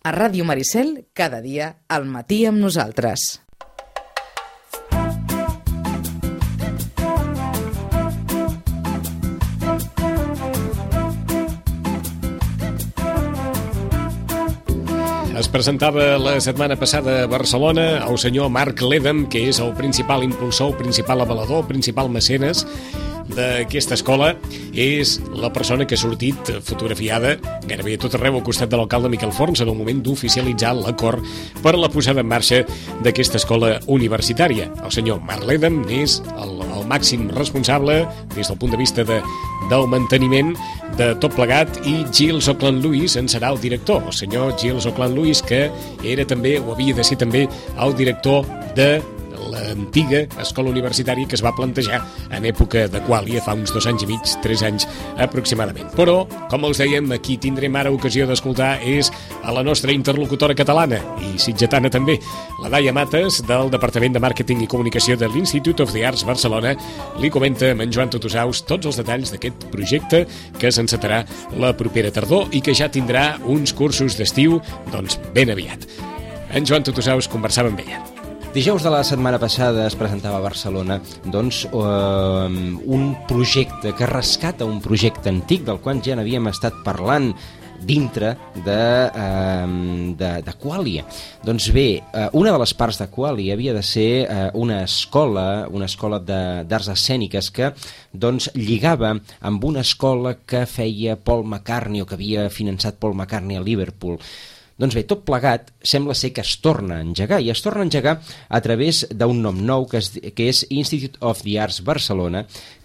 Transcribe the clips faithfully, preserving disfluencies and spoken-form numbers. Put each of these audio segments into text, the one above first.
A Ràdio Maricel, cada dia, al matí amb nosaltres. Es presentava la setmana passada a Barcelona el senyor Marc Ledem, que és el principal impulsor, el principal avalador, el principal mecenes d'aquesta escola. És la persona que ha sortit fotografiada gairebé a tot arreu al costat de l'alcalde Miquel Forns en el moment d'oficialitzar l'acord per a la posada en marxa d'aquesta escola universitària. El senyor Marc Ledem és el, el màxim responsable des del punt de vista de, del manteniment de tot plegat, i Giles Auckland Lewis en serà el director. El senyor Giles Auckland Lewis, que era també, o havia de ser també, el director de l'antiga escola universitària que es va plantejar en època de Quàlia, fa uns dos anys i mig, tres anys aproximadament. Però, com els dèiem, aquí tindrem ara ocasió d'escoltar és a la nostra interlocutora catalana i sitgetana també, la Daia Mates, del Departament de Màrqueting i Comunicació de l'Institute of the Arts Barcelona. Li comenta amb en Joan Tutusaus tots els detalls d'aquest projecte que s'encetarà la propera tardor i que ja tindrà uns cursos d'estiu doncs ben aviat. En Joan Tutusaus conversava amb ella. Dijous de la setmana passada es presentava a Barcelona doncs, uh, un projecte que rescata un projecte antic del qual ja n'havíem estat parlant dintre de, uh, de, de Quàlia. Doncs bé, uh, una de les parts de Quàlia havia de ser uh, una escola, una escola d'arts escèniques que doncs, lligava amb una escola que feia Paul McCartney o que havia finançat Paul McCartney a Liverpool. Doncs bé, tot plegat sembla ser que es torna a engegar, i es torna a engegar a través d'un nom nou que és, que és Institute of the Arts Barcelona,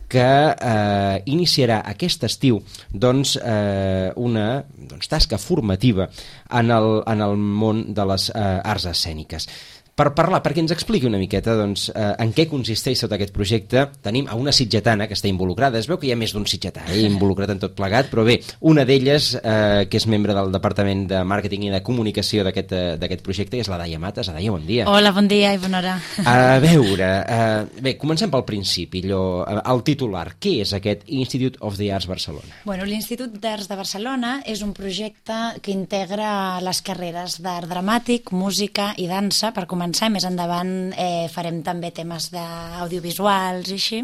que eh, iniciarà aquest estiu doncs, eh, una doncs, tasca formativa en el, en el món de les eh, arts escèniques. Per parlar, perquè ens expliqui una miqueta doncs, eh, en què consisteix tot aquest projecte, tenim a una sitgetana que està involucrada. Es veu que hi ha més d'un sitgetà eh, involucrat en tot plegat, però bé, una d'elles, eh, que és membre del Departament de Màrqueting i de Comunicació d'aquest eh, d'aquest projecte, és la Daia Mates. Daia, bon dia. Hola, bon dia i bona hora. A veure, eh, bé, comencem pel principi, allò, el titular. Què és aquest Institute of the Arts Barcelona? Bueno, l'Institut d'Arts de Barcelona és un projecte que integra les carreres d'art dramàtic, música i dansa. Per començar, més endavant eh, farem també temes d'audiovisuals i així.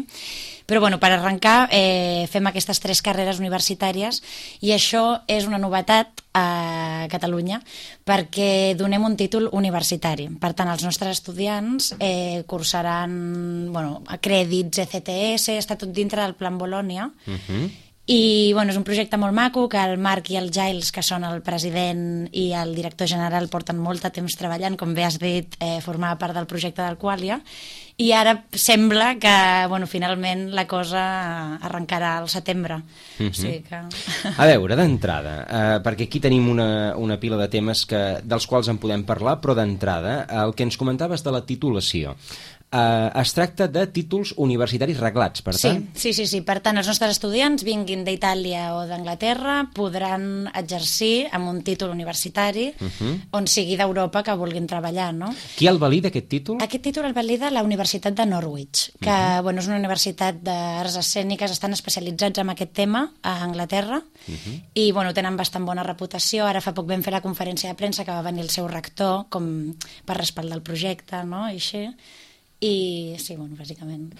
Però bueno, per arrencar eh, fem aquestes tres carreres universitàries, i això és una novetat a Catalunya perquè donem un títol universitari. Per tant, els nostres estudiants eh, cursaran bueno, crèdits E C T S, està tot dintre del Plan Bolònia. Uh-huh. I bueno, és un projecte molt maco que el Marc i el Giles, que són el president i el director general, porten molt de temps treballant, com bé has dit, eh, formava part del projecte del Quàlia, i ara sembla que bueno, finalment la cosa arrencarà al setembre. Uh-huh. O sigui que... A veure, d'entrada, eh, perquè aquí tenim una, una pila de temes que, dels quals en podem parlar, però d'entrada, el que ens comentaves de la titulació. Uh, es tracta de títols universitaris reglats, per tant? Sí, sí, sí, sí. Per tant, els nostres estudiants, vinguin d'Itàlia o d'Anglaterra, podran exercir amb un títol universitari uh-huh. on sigui d'Europa que vulguin treballar, no? Qui el valida, aquest títol? Aquest títol el valida la Universitat de Norwich, que uh-huh. bueno, és una universitat d'arts escèniques, estan especialitzats en aquest tema a Anglaterra, uh-huh. i bueno, tenen bastant bona reputació. Ara fa poc vam fer la conferència de premsa que va venir el seu rector com per respaldar el projecte, no? I així... I sí, bueno, bàsicament.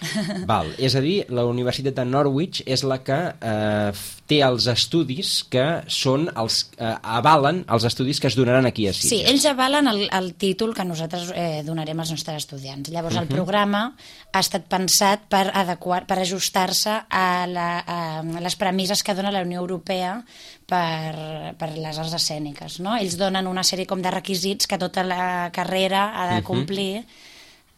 Val, és a dir, la Universitat de Norwich és la que eh, té els estudis que són els eh, avalen els estudis que es donaran aquí a Sitges. Sí, ells avalen el, el títol que nosaltres eh, donarem als nostres estudiants. Llavors, uh-huh. el programa ha estat pensat per adequar, per ajustar-se a, la, a les premisses que dona la Unió Europea per, per les arts escèniques, no? Ells donen una sèrie com de requisits que tota la carrera ha de complir, uh-huh.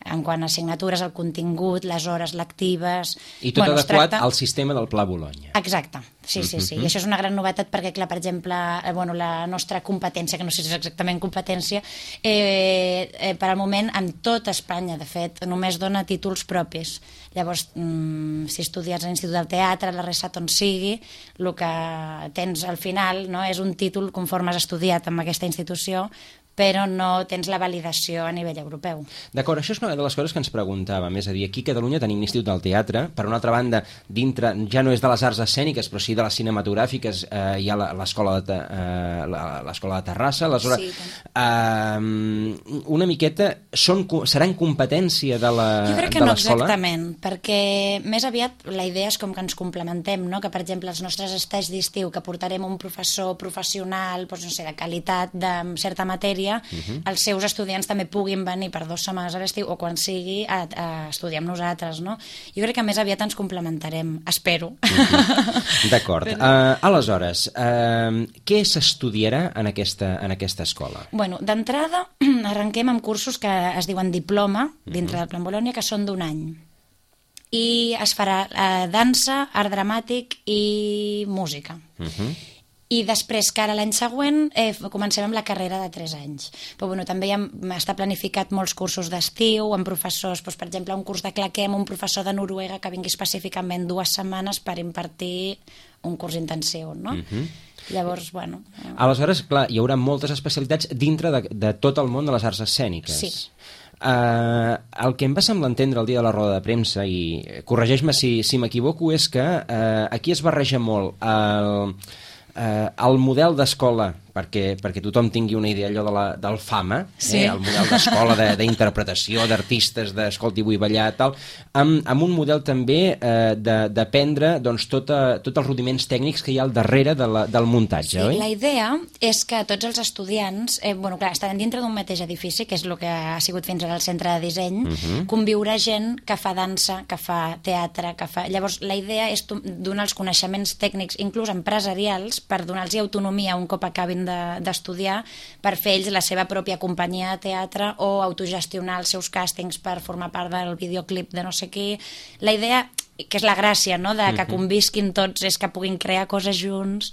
en quant a assignatures, el contingut, les hores lectives... I tot bueno, adequat tracta... al sistema del Pla Bologna. Exacte, sí, sí, sí. Uh-huh. I això és una gran novetat perquè, clar, per exemple, eh, bueno, la nostra competència, que no sé si és exactament competència, eh, eh, per al moment, en tot Espanya, de fet, només dona títols propis. Llavors, mm, si estudies a l'Institut del Teatre, a la RESAT, on sigui, el que tens al final, no, és un títol conforme has estudiat en aquesta institució, però no tens la validació a nivell europeu. D'acord, això és una de les coses que ens preguntàvem, és a dir, aquí a Catalunya tenim l'Institut del Teatre, per una altra banda, dintre, ja no és de les arts escèniques, però sí de les cinematogràfiques, eh, hi ha l'escola de, eh, l'escola de Terrassa, aleshores, sí, eh, una miqueta, són, seran competència de l'escola? Jo crec que no exactament, perquè més aviat la idea és com que ens complementem, no? Que per exemple els nostres estats d'estiu, que portarem un professor professional, doncs, no sé, de qualitat de certa matèria, Uh-huh. els seus estudiants també puguin venir per dues setmanes a l'estiu o quan sigui a, a estudiar amb nosaltres, no? Jo crec que més aviat ens complementarem, espero. Uh-huh. D'acord. Però... Uh, aleshores, uh, què s'estudiarà en aquesta, en aquesta escola? Bueno, d'entrada arrenquem amb cursos que es diuen diploma dintre uh-huh. del Plan Bolònia, que són d'un any. I es farà uh, dansa, art dramàtic i música. Uh-huh. I després, que ara l'any següent, eh, comencem amb la carrera de tres anys. Però bueno, també ja està planificat molts cursos d'estiu, amb professors, doncs, per exemple, un curs de claqué amb un professor de Noruega que vingui específicament dues setmanes per impartir un curs intensiu, no? Uh-huh. Llavors, bueno... Eh... Aleshores, clar, hi haurà moltes especialitats dintre de, de tot el món de les arts escèniques. Sí. Uh, el que em va semblar entendre el dia de la roda de premsa, i corregeix-me si, si m'equivoco, és que uh, aquí es barreja molt el... Uh, el model d'escola, perquè, perquè tothom tingui una idea allò de la, del fama, sí. eh, el model d'escola d'interpretació, d'artistes, d'escolti vull ballar, tal, amb, amb un model també eh, d'aprendre doncs, tot, a, tots els rudiments tècnics que hi ha al darrere de la, del muntatge, sí, oi? La idea és que tots els estudiants, eh, bueno, clar, estan dintre d'un mateix edifici, que és el que ha sigut fins ara el centre de disseny, uh-huh. conviurà gent que fa dansa, que fa teatre, que fa... Llavors, la idea és donar els coneixements tècnics, inclús empresarials, per donar-los autonomia un cop acabin d'estudiar, de, per fer ells la seva pròpia companyia de teatre o autogestionar els seus càstings per formar part del videoclip de no sé qui. La idea, que és la gràcia, no?, de que convisquin tots, és que puguin crear coses junts.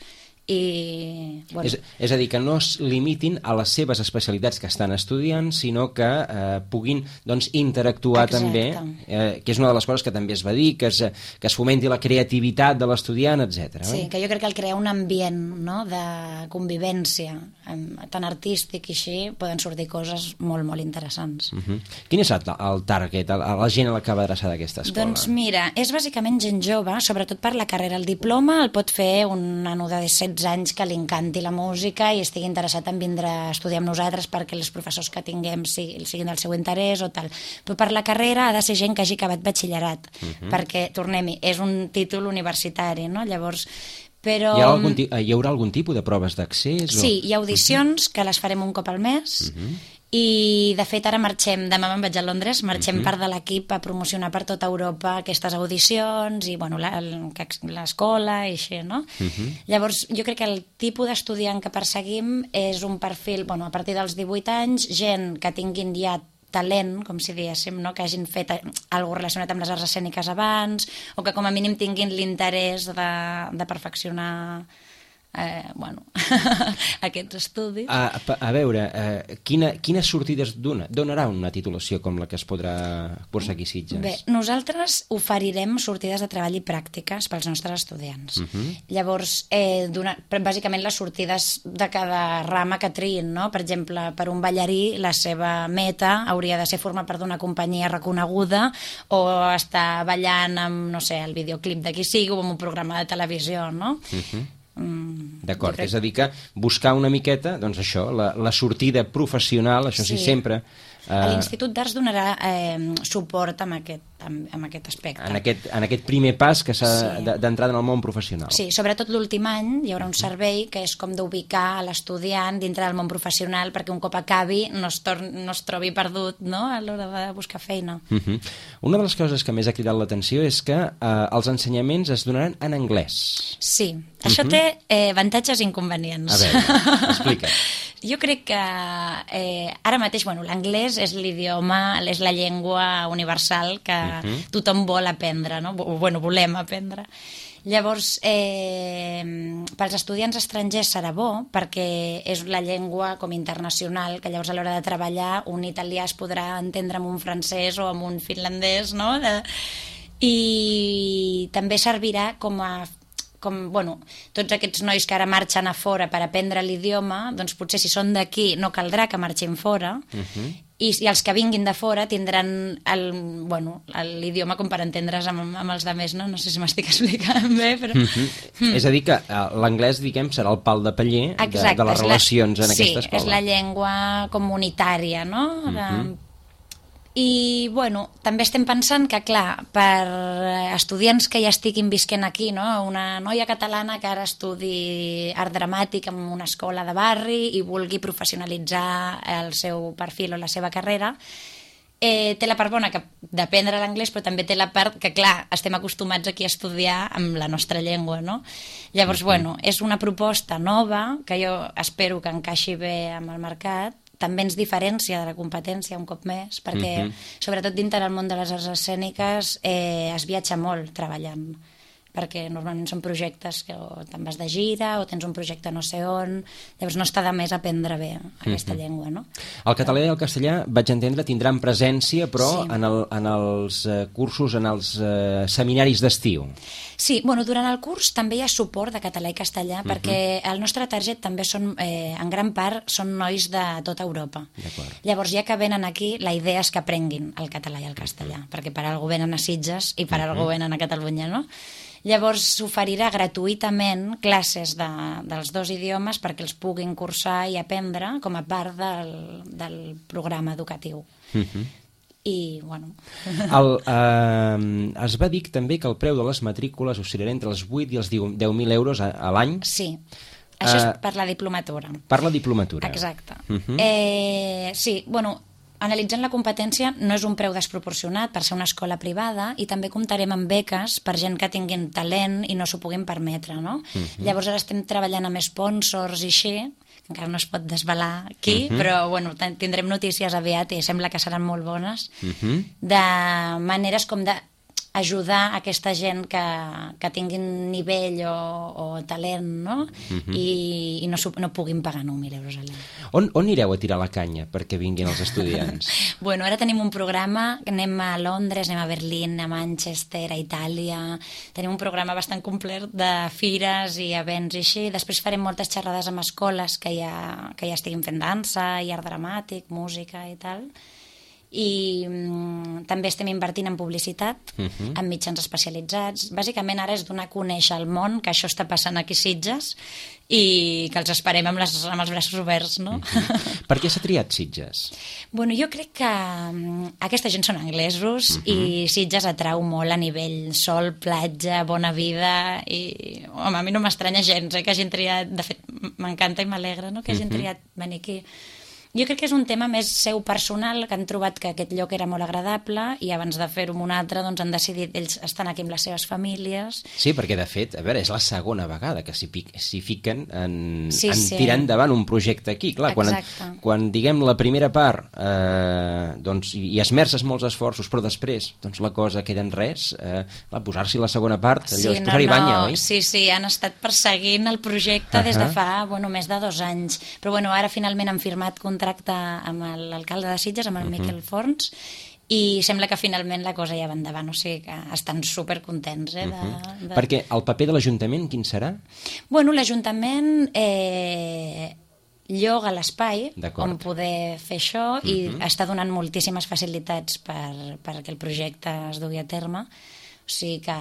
I, bueno. és, és a dir, que no es limitin a les seves especialitats que estan estudiant, sinó que eh, puguin doncs, interactuar Exacte. també, eh, que és una de les coses que també es va dir, que es, que es fomenti la creativitat de l'estudiant, etcètera. Sí, oi? que jo crec que al crear un ambient, no?, de convivència tan artístic i així, poden sortir coses molt, molt interessants. Uh-huh. Quin és el, el target, la, la gent a la que va adreçada aquesta escola? Doncs mira, és bàsicament gent jove, sobretot per la carrera. El diploma el pot fer un nano de setze anys que li encanti la música i estigui interessat en vindre a estudiar amb nosaltres perquè els professors que tinguem siguin, siguin del seu interès o tal. Però per la carrera ha de ser gent que hagi acabat batxillerat, uh-huh. perquè, tornem-hi, és un títol universitari, no? Llavors, però... Hi, ha algun, hi haurà algun tipus de proves d'accés? Sí, o... hi ha audicions uh-huh. que les farem un cop al mes, uh-huh. i de fet ara marxem, demà me'n vaig a Londres, marxem uh-huh. part de l'equip a promocionar per tota Europa aquestes audicions i bueno, l'escola i així, no? Uh-huh. Llavors jo crec que el tipus d'estudiant que perseguim és un perfil, bueno, a partir dels divuit anys, gent que tinguin ja talent, com si diguéssim, no? Que hagin fet alguna relacionat amb les arts escèniques abans o que com a mínim tinguin l'interès de, de perfeccionar Eh, bueno, aquests estudis. A, a veure, eh, quina, quines sortides dona, donarà una titulació com la que es podrà cursar aquí a Sitges? Bé, nosaltres oferirem sortides de treball i pràctiques pels nostres estudiants. Uh-huh. Llavors, eh, donar, bàsicament les sortides de cada rama que triïn, no? Per exemple, per un ballarí, la seva meta hauria de ser formar part d'una companyia reconeguda o estar ballant amb, no sé, el videoclip de qui sigui o amb un programa de televisió, no? Uh-huh. Mm, D'acord, crec... és a dir que buscar una miqueta, doncs això, la, la sortida professional, això sí, sí sempre... Uh, l'Institut d'Arts donarà eh, suport amb aquest, amb, amb aquest aspecte. En aquest, en aquest primer pas que s'ha sí. d'entrar en el món professional. Sí, sobretot l'últim any hi haurà un servei que és com d'ubicar l'estudiant dintre del món professional perquè un cop acabi no es, tor no es trobi perdut, no?, a l'hora de buscar feina. Uh -huh. Una de les coses que més ha cridat l'atenció és que eh, els ensenyaments es donaran en anglès. Sí, això uh -huh. té eh, avantatges i inconvenients. A veure, explica. Jo crec que eh, ara mateix, bueno, l'anglès és l'idioma, és la llengua universal que uh-huh. tothom vol aprendre, no? Bueno, volem aprendre. Llavors, eh, pels estudiants estrangers serà bo perquè és la llengua com internacional, que llavors a l'hora de treballar un italià es podrà entendre amb un francès o amb un finlandès, no? De... I també servirà com a com, bueno, tots aquests nois que ara marxen a fora per aprendre l'idioma, doncs potser si són d'aquí no caldrà que marxin fora, uh-huh. i, i els que vinguin de fora tindran el, bueno, l'idioma com per entendre's amb, amb els de més, no? No sé si m'estic explicant bé, però... Uh-huh. Mm. És a dir, que l'anglès, diguem, serà el pal de paller de, de les relacions la, en sí, aquesta escola. Sí, és la llengua comunitària, no? De, uh-huh. I, bueno, també estem pensant que, clar, per estudiants que ja estiguin visquent aquí, no? Una noia catalana que ara estudi art dramàtic en una escola de barri i vulgui professionalitzar el seu perfil o la seva carrera, eh, té la part bona que d'aprendre l'anglès, però també té la part que, clar, estem acostumats aquí a estudiar amb la nostra llengua, no? Llavors, bueno, és una proposta nova que jo espero que encaixi bé amb el mercat, també ens diferencia de la competència un cop més, perquè uh-huh. sobretot dintre del món de les arts escèniques eh, es viatja molt treballant, perquè normalment són projectes que o te'n vas de gira o tens un projecte no sé on, llavors no està de més aprendre bé aquesta uh-huh. llengua, no? El català i el castellà, vaig entendre, tindran presència, però sí. en, el, en els eh, cursos, en els eh, seminaris d'estiu. Sí, bueno, durant el curs també hi ha suport de català i castellà, uh-huh. perquè el nostre target també són, eh, en gran part, són nois de tota Europa. Llavors, ja que venen aquí, la idea és que aprenguin el català i el castellà, uh-huh. perquè per algú venen a Sitges i per uh-huh. algú venen a Catalunya, no? Llavors s'oferirà gratuïtament classes de, dels dos idiomes perquè els puguin cursar i aprendre com a part del, del programa educatiu. Uh-huh. I, bueno... El, eh, es va dir també que el preu de les matrícules oscil·larà entre els vuit i els deu mil euros a, a l'any. Sí, això uh, és per la diplomatura. Per la diplomatura. Exacte. Uh-huh. eh, sí, bueno... Analitzant la competència, no és un preu desproporcionat per ser una escola privada i també comptarem amb beques per gent que tinguin talent i no s'ho puguin permetre, no? Uh-huh. Llavors ara estem treballant amb sponsors i així, que encara no es pot desvelar aquí, uh-huh. però bueno, tindrem notícies aviat i sembla que seran molt bones, uh-huh. de maneres com de ajudar aquesta gent que, que tinguin nivell o, o talent, no? Uh-huh. I, i no, no puguin pagar nou mil euros a l'any. On, on ireu a tirar la canya perquè vinguin els estudiants? Bueno, ara tenim un programa, anem a Londres, anem a Berlín, a Manchester, a Itàlia, tenim un programa bastant complet de fires i events i així, després farem moltes xerrades amb escoles que ja, que ja estiguin fent dansa i art dramàtic, música i tal, i mm, també estem invertint en publicitat, uh-huh. en mitjans especialitzats. Bàsicament ara és donar a conèixer al món que això està passant aquí a Sitges i que els esperem amb, les, amb els braços oberts, no? Uh-huh. Per què s'ha triat Sitges? Bueno, jo crec que um, aquesta gent són anglesos, uh-huh. i Sitges atrau molt a nivell sol, platja, bona vida i, home, a mi no m'estranya gens eh, que hagin triat, de fet m'encanta i m'alegra, no?, que hagin uh-huh. triat venir aquí. Jo crec que és un tema més seu personal, que han trobat que aquest lloc era molt agradable i abans de fer-ho amb un altre doncs han decidit, ells estan aquí amb les seves famílies. Sí, perquè de fet, a veure, és la segona vegada que s'hi, s'hi fiquen en, sí, en sí. tirar endavant un projecte aquí. Clar, quan, quan diguem la primera part eh, doncs, hi esmerces molts esforços, però després doncs, la cosa queda en res, eh, la posar-s'hi la segona part, allò sí, és no, posar-hi no, banya, oi? Sí, sí, han estat perseguint el projecte uh-huh. des de fa bueno, més de dos anys. Però bueno, ara finalment han firmat contracte amb l'alcalde de Sitges, amb el uh-huh. Miquel Forns, i sembla que finalment la cosa ja va endavant, o sigui que estan supercontents. Eh, de, uh-huh. de... Perquè el paper de l'Ajuntament quin serà? Bueno, l'Ajuntament eh, lloga l'espai on poder fer això uh-huh. i està donant moltíssimes facilitats per, perquè el projecte es dugui a terme. O sigui que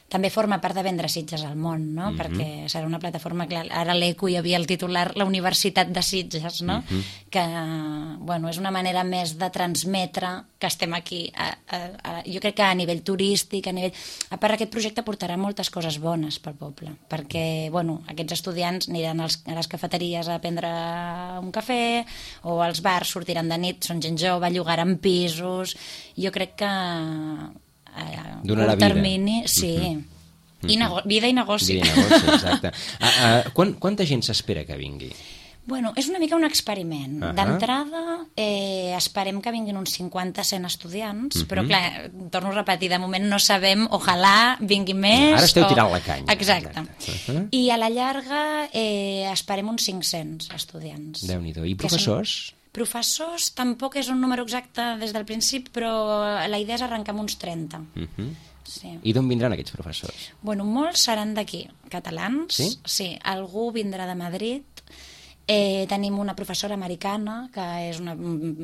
també forma part de vendre Sitges al món, no? Uh-huh. Perquè serà una plataforma, clar, ara a l'Eco hi havia el titular La Universitat de Sitges, no? Uh-huh. Que, bueno, és una manera més de transmetre que estem aquí. A, a, a, jo crec que a nivell turístic, a nivell... A part, aquest projecte portarà moltes coses bones pel poble, perquè, bueno, aquests estudiants aniran als, a les cafeteries a prendre un cafè, o als bars sortiran de nit, són gent jove, llogaran pisos... Jo crec que... a donarà curt termini, vida. Sí. Uh-huh. I nego- vida i negoci. Vida i negoci, exacte. uh, uh, quan, quanta gent s'espera que vingui? Bueno, és una mica un experiment. Uh-huh. D'entrada, eh, esperem que vinguin uns cinquanta a cent estudiants, uh-huh. però clar, torno a repetir, de moment no sabem, ojalà vingui més... Ara esteu o... tirant la canya. Exacte. Exacte. Uh-huh. I a la llarga eh, esperem uns cinc-cents estudiants. Déu-n'hi-do. I professors? Són... Professors tampoc és un número exacte des del principi, però la idea és arrencar amb uns trenta. Uh-huh. sí. I d'on vindran aquests professors? Bueno, molts seran d'aquí, catalans. Sí? Sí, algú vindrà de Madrid. Eh, tenim una professora americana que és una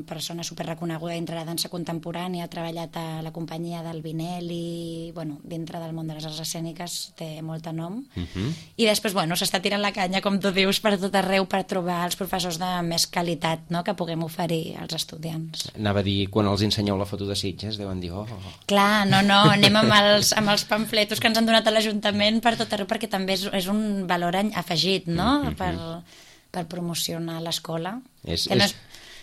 persona superreconeguda dintre la dansa contemporània, ha treballat a la companyia del Vinelli, bueno, dintre del món de les arts escèniques té molt de nom. Uh -huh. I després, bueno, s'està tirant la canya, com tu dius, per tot arreu per trobar els professors de més qualitat, no?, que puguem oferir als estudiants. Anava a dir, quan els ensenyeu la foto de Sitges, deuen dir, oh... Clar, no, no, anem amb els, amb els pamfletos que ens han donat a l'Ajuntament per tot arreu, perquè també és, és un valor afegit, no?, uh -huh. per... per promocionar l'escola. És, no és,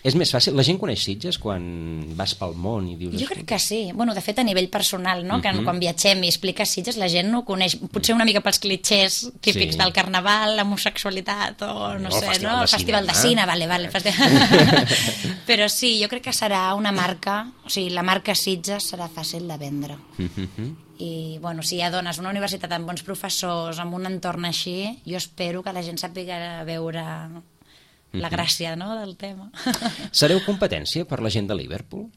és més fàcil? La gent coneix Sitges quan vas pel món i dius... Jo crec que sí. Bueno, de fet, a nivell personal, no? Que uh-huh. quan viatgem i expliques Sitges, la gent no ho coneix. Potser una mica pels clitxers típics sí. del carnaval, l'homosexualitat o no, no sé, no? El festival de cine, vale, vale. Però sí, jo crec que serà una marca, o sigui, la marca Sitges serà fàcil de vendre. Uh-huh. I, bueno, si ja dones una universitat amb bons professors, amb un entorn així, jo espero que la gent sàpiga veure la gràcia, no?, del tema. Sereu competència per la gent de Liverpool?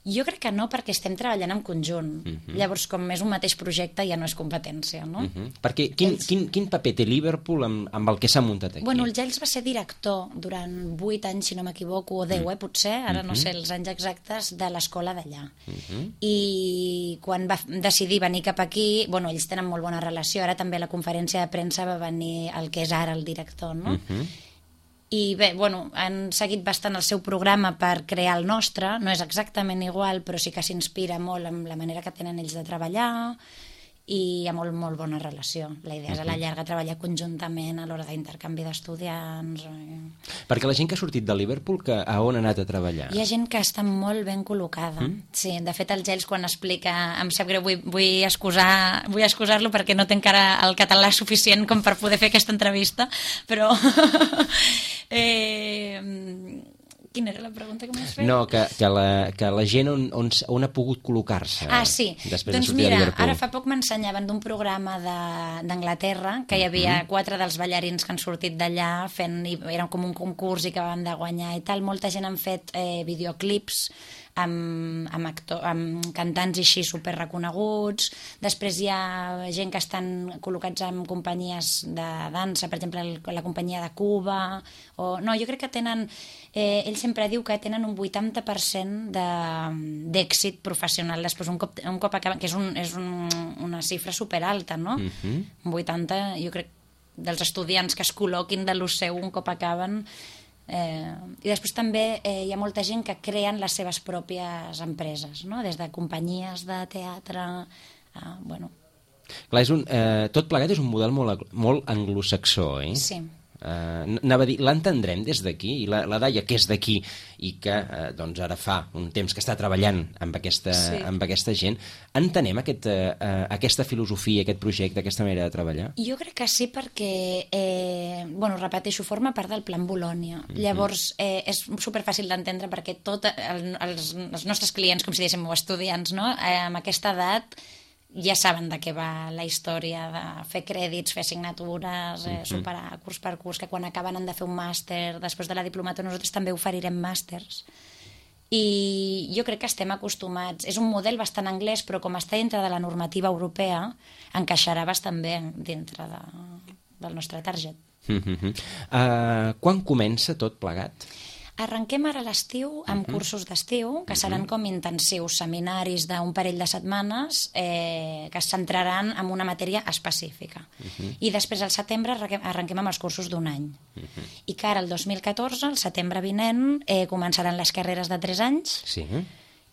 Jo crec que no, perquè estem treballant en conjunt. Uh-huh. Llavors, com és un mateix projecte, ja no és competència, no? Uh-huh. Perquè quin, Ells... quin, quin paper té Liverpool amb, amb el que s'ha muntat aquí? Bueno, el Giles va ser director durant vuit anys, si no m'equivoco, o deu, uh-huh. eh, potser, ara uh-huh. no sé els anys exactes, de l'escola d'allà. Uh-huh. I quan va decidir venir cap aquí, bueno, ells tenen molt bona relació, ara també a la conferència de premsa va venir el que és ara el director, no? Uh-huh. I bé, bueno, han seguit bastant el seu programa per crear el nostre, no és exactament igual, però sí que s'inspira molt amb la manera que tenen ells de treballar i hi ha molt, molt bona relació. La idea és a la llarga treballar conjuntament a l'hora d'intercanvi d'estudiants. Perquè la gent que ha sortit de Liverpool, que a on ha anat a treballar? Hi ha gent que està molt ben col·locada. Mm? Sí, de fet, el Giles, quan explica, em sap greu, vull, vull excusar vull excusar-lo perquè no té encara el català suficient com per poder fer aquesta entrevista, però... eh... Quina era la pregunta que m'has fet? No, que, que, la, que la gent on, on, on ha pogut col·locar-se ah, sí. després doncs de sortir mira, de Liverpool. Ara fa poc m'ensenyaven d'un programa d'Anglaterra, que hi havia mm-hmm. quatre dels ballarins que han sortit d'allà fent, era com un concurs i que van de guanyar i tal. Molta gent han fet eh, videoclips amb, amb, actor, amb cantants així superreconeguts. Després hi ha gent que estan col·locats en companyies de dansa, per exemple la companyia de Cuba o... no, jo crec que tenen eh, ell sempre diu que tenen un vuitanta per cent d'èxit professional després un cop, un cop acaben, que és, un, és un, una xifra superalta, no? Uh-huh. Un vuitanta, jo crec, dels estudiants que es col·loquin de lo seu un cop acaben. Eh, i després també eh, hi ha molta gent que creen les seves pròpies empreses, no? Des de companyies de teatre a, bueno... Clar, és un, eh, tot plegat és un model molt, molt anglosaxó, eh? Sí. Uh, anava a dir, l'entendrem des d'aquí, i la, la Daia, que és d'aquí i que uh, doncs ara fa un temps que està treballant amb aquesta, sí. amb aquesta gent, entenem aquest, uh, aquesta filosofia, aquest projecte, aquesta manera de treballar? Jo crec que sí, perquè eh, bueno, repeteixo, forma part del Plan Bolònia. Mm-hmm. Llavors eh, és superfàcil d'entendre perquè tot el, els, els nostres clients, com si diguéssim, o estudiants, no? eh, amb aquesta edat ja saben de què va la història de fer crèdits, fer assignatures, eh, superar curs per curs, que quan acaben han de fer un màster, després de la diplomatura nosaltres també oferirem màsters. I jo crec que estem acostumats, és un model bastant anglès, però com està dintre de la normativa europea, encaixarà bastant bé dintre de, del nostre target. Mm-hmm. uh, quan comença tot plegat? Arrenquem ara a l'estiu amb uh-huh. cursos d'estiu, que seran uh-huh. com intensius, seminaris d'un parell de setmanes eh, que es centraran en una matèria específica. Uh-huh. I després al setembre arrenquem, arrenquem amb els cursos d'un any. Uh-huh. I que ara el dos mil catorze, el setembre vinent, eh, començaran les carreres de tres anys sí.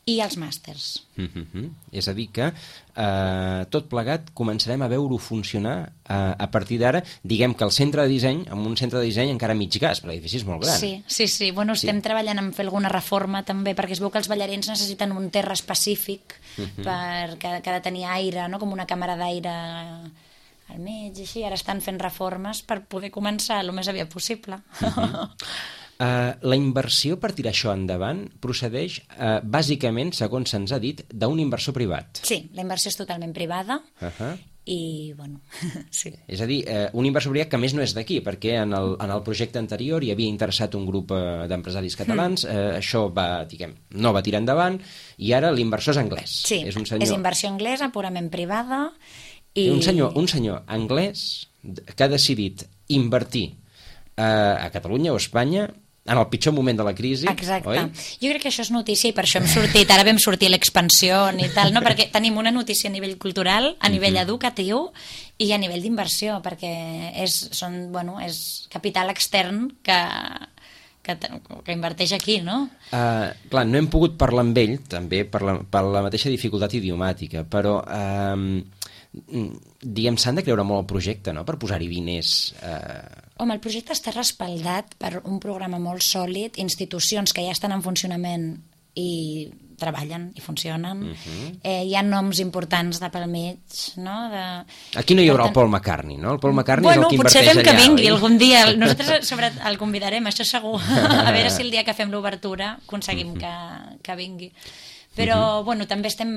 i els màsters. Uh-huh. És a dir que eh, tot plegat començarem a veure-ho funcionar eh, a partir d'ara, diguem que el centre de disseny, amb un centre de disseny encara mig gas, perquè l'edifici és molt gran. Sí, sí, sí. Bueno, sí. Estem treballant en fer alguna reforma també, perquè es veu que els ballarins necessiten un terra específic uh-huh. per, que, que ha de tenir aire, no? Com una càmera d'aire al mig, i així. Ara estan fent reformes per poder començar el més aviat possible. Uh-huh. Uh, la inversió per tirar això endavant procedeix, uh, bàsicament, segons se'ns ha dit, d'un inversor privat. Sí, la inversió és totalment privada uh-huh. i, bueno, sí. És a dir, eh, un inversor que a més no és d'aquí, perquè en el, en el projecte anterior hi havia interessat un grup eh, d'empresaris catalans, eh, això va, diguem, no va tirar endavant, i ara l'inversor és anglès. Sí, és, un senyor... és inversió anglesa, purament privada, i... Un senyor, un senyor anglès que ha decidit invertir eh, a Catalunya o a Espanya en el pitjor moment de la crisi, exacte. Oi? Jo crec que això és notícia i per això hem sortit, ara vam sortir a l'expansió i tal, no? Perquè tenim una notícia a nivell cultural, a nivell mm-hmm. educatiu i a nivell d'inversió, perquè és, són, bueno, és capital extern que, que, que inverteix aquí, no? Uh, clar, no hem pogut parlar amb ell, també per la, per la mateixa dificultat idiomàtica, però... Uh, diguem, s'han de creure molt el projecte, no?, per posar-hi diners. Eh... Home, el projecte està respaldat per un programa molt sòlid, institucions que ja estan en funcionament i treballen i funcionen. Uh-huh. eh, hi ha noms importants de pel mig, no? De... Aquí no hi haurà el Paul McCartney, no? El Paul McCartney bueno, és el que potser inverteix fem que allà, vingui oi? algun dia. Nosaltres sobre el convidarem, això segur. A veure si el dia que fem l'obertura aconseguim uh-huh. que, que vingui. Però, uh-huh. bueno, també estem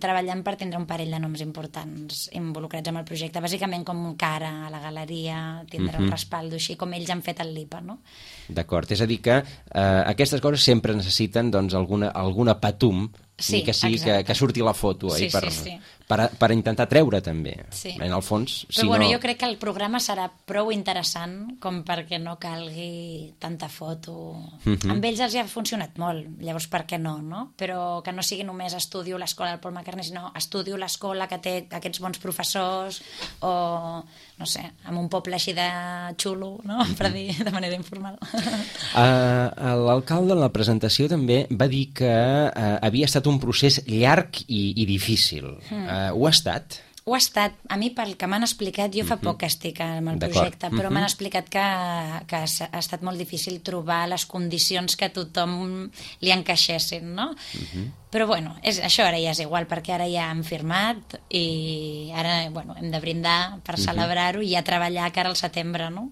treballant per tindre un parell de noms importants involucrats amb el projecte, bàsicament com Cara a la galeria, tindre uh-huh. un respaldo així, com ells han fet el Lipa, no? D'acord, és a dir que eh, aquestes coses sempre necessiten doncs, alguna, alguna patum, sí, ni que sigui que, que surti la foto, sí, eh, per, sí, sí. Per, per intentar treure també, sí. en el fons. Però si bueno, no... jo crec que el programa serà prou interessant com perquè no calgui tanta foto. Uh-huh. Amb ells els ha funcionat molt, llavors per què no, no? Però que no sigui només estudio l'escola del Paul McCartney, sinó estudio l'escola que té aquests bons professors o, no sé, en un poble així de xulo, no? Uh-huh. Per dir de manera informal. Uh, L'alcalde en la presentació també va dir que uh, havia estat un procés llarg i, i difícil. Uh, Uh, ho ha estat? Ho ha estat. A mi, pel que m'han explicat, jo fa uh-huh. poc que estic amb el projecte, però uh-huh. m'han explicat que, que ha estat molt difícil trobar les condicions que a tothom li encaixessin, no? Uh-huh. Però, bueno, és, això ara ja és igual, perquè ara ja hem firmat i ara, bueno, hem de brindar per uh-huh. celebrar-ho i ja treballar cara al setembre, no?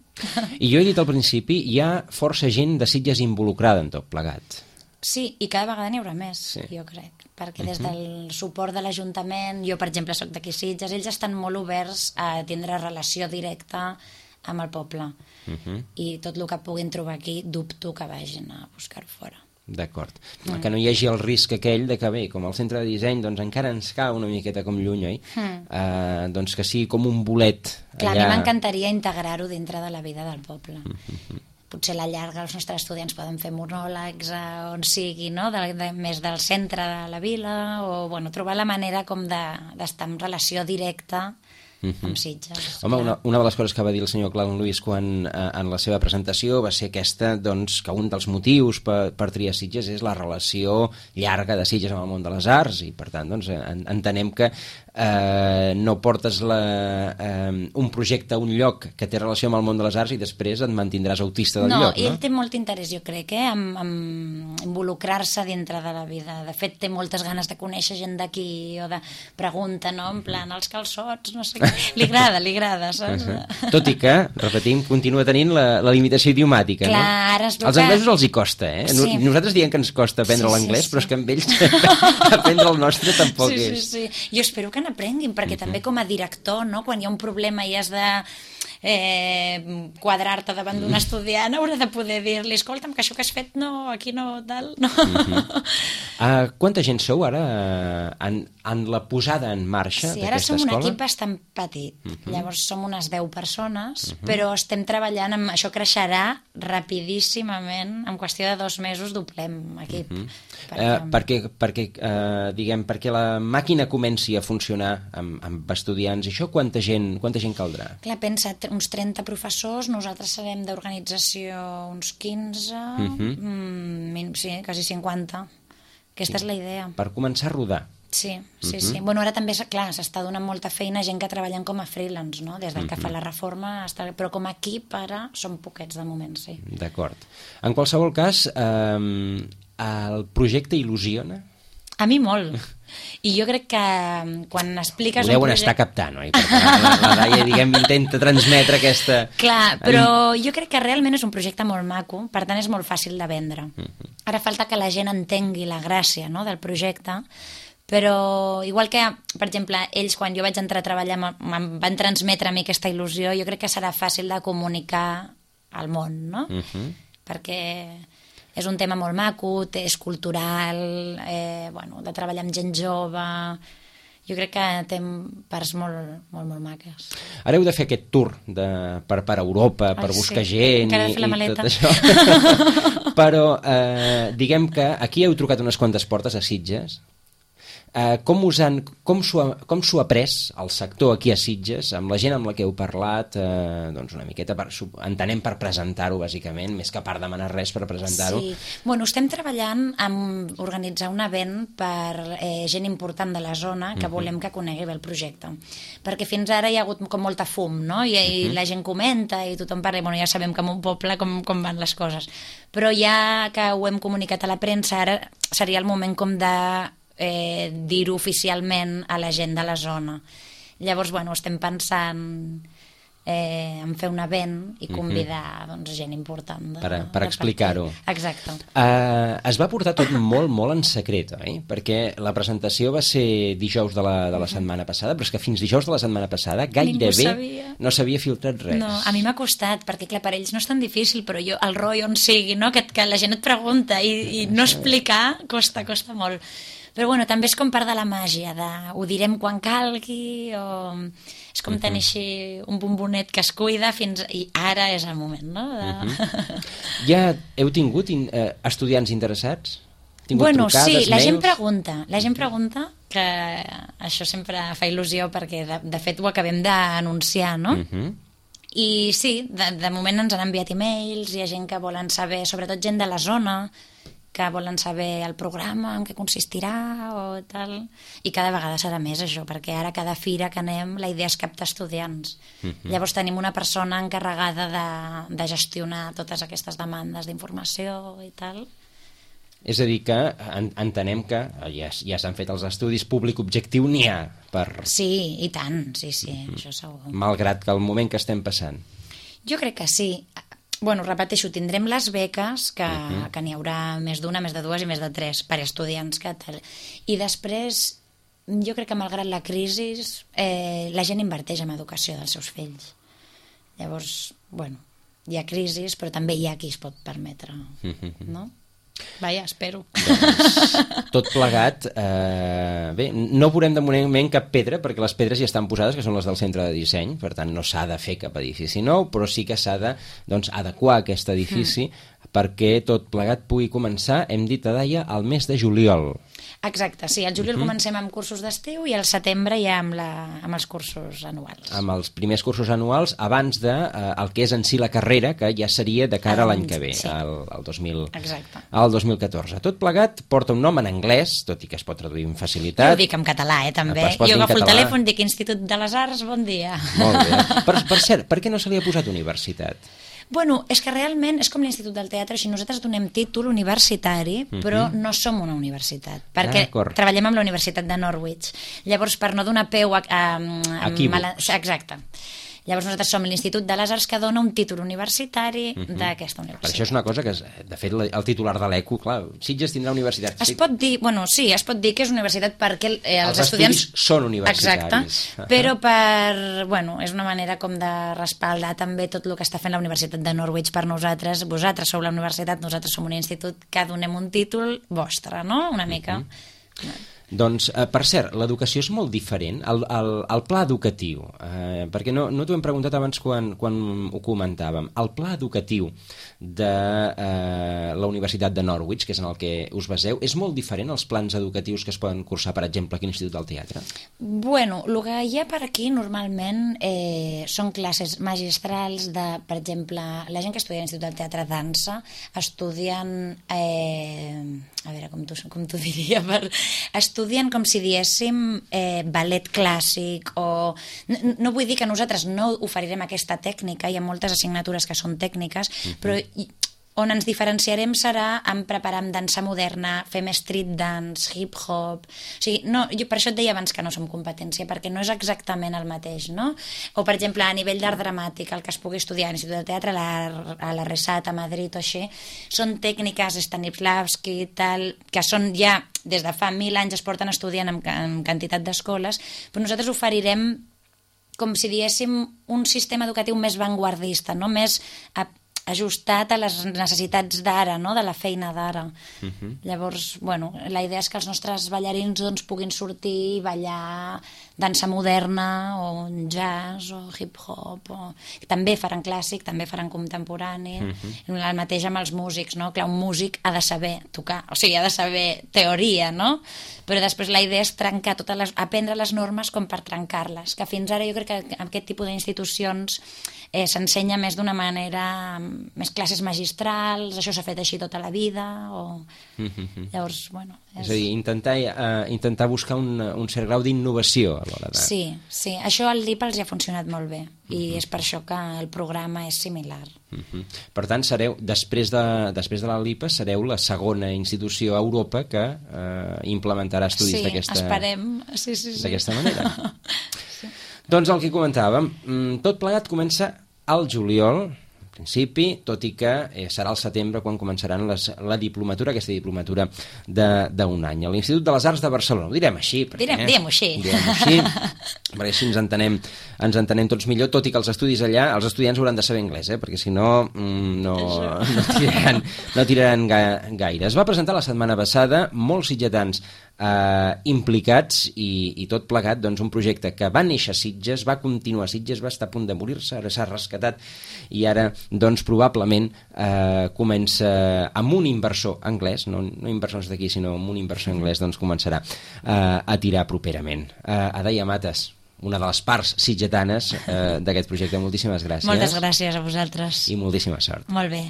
I jo he dit al principi, hi ha força gent de Sitges involucrada en tot plegat. Sí, i cada vegada n'hi haurà més, sí. jo crec, perquè des uh-huh. del suport de l'Ajuntament, jo per exemple soc d'aquí Sitges, ells estan molt oberts a tindre relació directa amb el poble uh-huh. i tot el que puguin trobar aquí dubto que vagin a buscar-ho fora. D'acord, mm. que no hi hagi el risc aquell de que bé, com el centre de disseny doncs encara ens cau una miqueta com lluny, oi? Mm. Uh, doncs que sigui com un bolet Clar, allà... a mi m'encantaria integrar-ho dintre de la vida del poble. Uh-huh. Potser a la llarga els nostres estudiants poden fer monòlegs a on sigui, no? de, de, més del centre de la vila, o bueno, trobar la manera com d'estar de, en relació directa uh-huh. amb Sitges. Home, una, una de les coses que va dir el senyor Clau Luis quan, eh, en la seva presentació va ser aquesta, doncs, que un dels motius per, per triar Sitges és la relació llarga de Sitges amb el món de les arts i, per tant, doncs, en, entenem que eh, no portes la, eh, un projecte a un lloc que té relació amb el món de les arts i després et mantindràs autista del no, lloc, no? Ell té molt interès, jo crec, eh, en, en involucrar-se dintre de la vida. De fet, té moltes ganes de conèixer gent d'aquí o de pregunta, no? En plan, els calçots, no sé què. Li agrada, li agrada, saps? Uh-huh. Tot i que, repetim, continua tenint la, la limitació idiomàtica, Clar, no? Ara es veu als que... anglesos els hi costa, eh? Sí. Nosaltres diem que ens costa aprendre sí, l'anglès, sí, sí. però és que amb ells aprendre el nostre tampoc sí, és. Sí, sí. Jo espero que n'aprenguin, perquè uh-huh. també com a director, no? Quan hi ha un problema i has de eh, quadrar-te davant d'un estudiant, haurà de poder dir-li, escolta'm, que això que has fet no, aquí no, tal, no. Uh-huh. Uh, quanta gent sou ara en, en la posada en marxa sí, d'aquesta escola? Sí, ara som un equip bastant petit, uh-huh. llavors som unes deu persones, uh-huh. però estem treballant amb... Això creixerà rapidíssimament, en qüestió de dos mesos doblem equip. Uh-huh. perquè, uh, perquè, perquè, uh, diguem, perquè la màquina comenci a funcionar amb, amb estudiants, i això quanta gent, quanta gent caldrà? Clar, pensa, uns trenta professors, nosaltres serem d'organització uns quinze, uh-huh. mm, sí, quasi cinquanta. Aquesta és la idea. Per començar a rodar. Sí, sí, uh-huh. sí. Bueno, ara també, clar, s'està donant molta feina a gent que treballen com a freelance, no? Des del uh-huh. que fa la reforma, està... però com a equip ara són poquets de moment, sí. D'acord. En qualsevol cas, eh, el projecte il·lusiona? A mi molt. I jo crec que quan expliques... Ho deuen projecte... estar captant, oi? Perquè la, la Laia, diguem, intenta transmetre aquesta... Clar, però jo crec que realment és un projecte molt maco, per tant és molt fàcil de vendre. Uh-huh. Ara falta que la gent entengui la gràcia, no?, del projecte, Però igual que, per exemple, ells quan jo vaig entrar a treballar em van transmetre a mi aquesta il·lusió, jo crec que serà fàcil de comunicar al món, no? Uh-huh. Perquè és un tema molt maco, és cultural, eh, bueno, de treballar amb gent jove... Jo crec que té parts molt, molt, molt maques. Ara heu de fer aquest tour de, per, per Europa, per Ai, buscar sí. gent Encara i, i tot això. Però eh, diguem que aquí heu trucat unes quantes portes a Sitges. Eh, com us han, com s'ho ha, com s'ho ha pres el sector aquí a Sitges, amb la gent amb la que heu parlat, eh, doncs una miqueta, per, entenem per presentar-ho bàsicament, més que per demanar res per presentar-ho. Sí, bueno, estem treballant en organitzar un event per eh, gent important de la zona que uh-huh. volem que conegui bé el projecte, perquè fins ara hi ha hagut com molta fum, no? I, uh-huh. i la gent comenta i tothom parla, i bueno, ja sabem que en un poble com, com van les coses, però ja que ho hem comunicat a la premsa, ara seria el moment com de Eh, dir-ho oficialment a la gent de la zona. Llavors, bueno, estem pensant eh, en fer un event i convidar uh-huh. doncs, gent important de, per, per explicar-ho. Exacte. Uh, es va portar tot molt, molt en secret, oi? Perquè la presentació va ser dijous de la, de la setmana passada, però és que fins dijous de la setmana passada gairebé no s'havia filtrat res. No, a mi m'ha costat, perquè clar, per ells no és tan difícil, però jo, el rotllo on sigui, no? que, que la gent et pregunta i, i no explicar costa, costa molt. Però bueno, també és com part de la màgia, de ho direm quan calgui, o és com tenir així un bombonet que es cuida fins... i ara és el moment, no? De... Uh-huh. Ja heu tingut in, eh, estudiants interessats? Tingut bueno, trucades, sí, la mails? gent pregunta, la gent pregunta, que això sempre fa il·lusió perquè de, de fet ho acabem d'anunciar, no? Uh-huh. I sí, de, de moment ens han enviat e-mails, hi ha gent que volen saber, sobretot gent de la zona, que volen saber el programa, en què consistirà o tal, i cada vegada serà més això, perquè ara cada fira que anem la idea és captar estudiants. Uh-huh. Llavors tenim una persona encarregada de, de gestionar totes aquestes demandes d'informació i tal. És a dir que en, entenem que ja, ja s'han fet els estudis públic objectiu, n'hi ha per... Sí, i tant, sí, sí, uh-huh. això segur. Malgrat que el moment que estem passant. Jo crec que sí. Bueno, repeteixo, tindrem les beques, que, uh-huh. que n'hi haurà més d'una, més de dues i més de tres per estudiants que tal. I després, jo crec que malgrat la crisi, eh, la gent inverteix en educació dels seus fills. Llavors, bueno, hi ha crisi, però també hi ha qui es pot permetre, uh-huh. no? Vaja, espero. Doncs, tot plegat, eh, bé, no veurem de moment cap pedra, perquè les pedres ja estan posades, que són les del centre de disseny, per tant no s'ha de fer cap edifici nou, però sí que s'ha de doncs, adequar aquest edifici mm. perquè tot plegat pugui començar, hem dit a Daia, al mes de juliol. Exacte, sí, al juliol uh-huh. comencem amb cursos d'estiu i al setembre ja amb, la, amb els cursos anuals. Amb els primers cursos anuals abans de eh, el que és en si la carrera, que ja seria de cara a l'any que ve, sí. al, al, dos mil, al dos mil catorze. Tot plegat porta un nom en anglès, tot i que es pot traduir amb facilitat. Jo ho dic en català, eh, també. Jo agafo el telèfon, dic Institut de les Arts, bon dia. Molt bé. Per, per cert, per què no se li ha posat universitat? Bueno, és que realment és com l'Institut del Teatre, així nosaltres donem títol universitari, uh-huh. però no som una universitat, perquè treballem amb la Universitat de Norwich. Llavors, per no donar peu a... a, a Equívocs. Mala... Exacte. Llavors nosaltres som l'Institut de les Arts que dona un títol universitari uh-huh. d'aquesta universitat. Per això és una cosa que, de fet, el titular de l'E C U, clar, Sitges tindrà universitat. Es pot dir, bueno, sí, es pot dir que és universitat perquè eh, els, els estudiants... estudis són universitaris. Exacte, però per, bueno, és una manera com de respaldar també tot el que està fent la Universitat de Norwich per nosaltres. Vosaltres sou la universitat, nosaltres som un institut que donem un títol vostre, no? Una mica. Uh-huh. Doncs, eh, per cert, l'educació és molt diferent, el, el, el pla educatiu, eh, perquè no, no t'ho hem preguntat abans quan, quan ho comentàvem, el pla educatiu de eh, la Universitat de Norwich, que és en el que us baseu, és molt diferent als plans educatius que es poden cursar, per exemple, aquí a l'Institut del Teatre? Bueno, el que hi ha per aquí normalment eh, són classes magistrals de, per exemple, la gent que estudia a l'Institut del Teatre dansa, estudien... Eh, a veure, com t'ho com diria, per, estudien com si diéssim eh, ballet clàssic o... No, no vull dir que nosaltres no oferirem aquesta tècnica, hi ha moltes assignatures que són tècniques, uh-huh. però On ens diferenciarem serà en preparar amb dansa moderna, fem street dance, hip-hop... O sigui, no, jo per això et deia abans que no som competència, perquè no és exactament el mateix, no? O, per exemple, a nivell d'art dramàtic, el que es pugui estudiar a l'Institut de Teatre, a la, a la Resat, a Madrid o així, són tècniques Stanislavski i tal, que són ja, des de fa mil anys es porten estudiant en, en quantitat d'escoles, però nosaltres oferirem com si diguéssim un sistema educatiu més vanguardista, no? Més a, ajustat a les necessitats d'ara, no? De la feina d'ara. Uh-huh. Llavors, bueno, la idea és que els nostres ballarins doncs, puguin sortir i ballar dansa moderna o jazz o hip-hop. O... També faran clàssic, també faran contemporani. Uh-huh. El mateix amb els músics, no? Clar, un músic ha de saber tocar, o sigui, ha de saber teoria, no? Però després la idea és trencar totes les... aprendre les normes com per trencar-les, que fins ara jo crec que aquest tipus d'institucions eh, s'ensenya més d'una manera, més classes magistrals, això s'ha fet així tota la vida, o... Mm-hmm. Llavors, bueno... És, és a dir, intentar, uh, intentar buscar un, un cert grau d'innovació a l'hora de... Sí, sí, això al D I P els ha funcionat molt bé, i mm-hmm. és per això que el programa és similar. Mm-hmm. Per tant, sereu, després de, després de la L I P A, sereu la segona institució a Europa que uh, implementarà estudis sí, d'aquesta esperem. Sí, sí, sí. d'aquesta manera. Sí. Doncs el que comentàvem, tot plegat comença al juliol, en principi, tot i que eh, serà al setembre quan començaran les, la diplomatura, aquesta diplomatura d'un any. A l'Institut de les Arts de Barcelona, ho direm així. Perquè, direm, diguem-ho així. Diguem així, perquè així ens entenem, ens entenem tots millor, tot i que els estudis allà, els estudiants hauran de saber anglès, eh? Perquè si no, no, no tiraran, no tiraran ga, gaire. Es va presentar la setmana passada, molts sitgetans eh, implicats i, i tot plegat, doncs un projecte que va néixer a Sitges, va continuar a Sitges, va estar a punt de morir-se, ara s'ha rescatat i ara doncs probablement eh, comença amb un inversor anglès, no, no inversors d'aquí sinó amb un inversor anglès, doncs començarà eh, a tirar properament. Eh, Adaia Mates, una de les parts sitgetanes eh, d'aquest projecte, moltíssimes gràcies. Moltes gràcies a vosaltres. I moltíssima sort. Molt bé.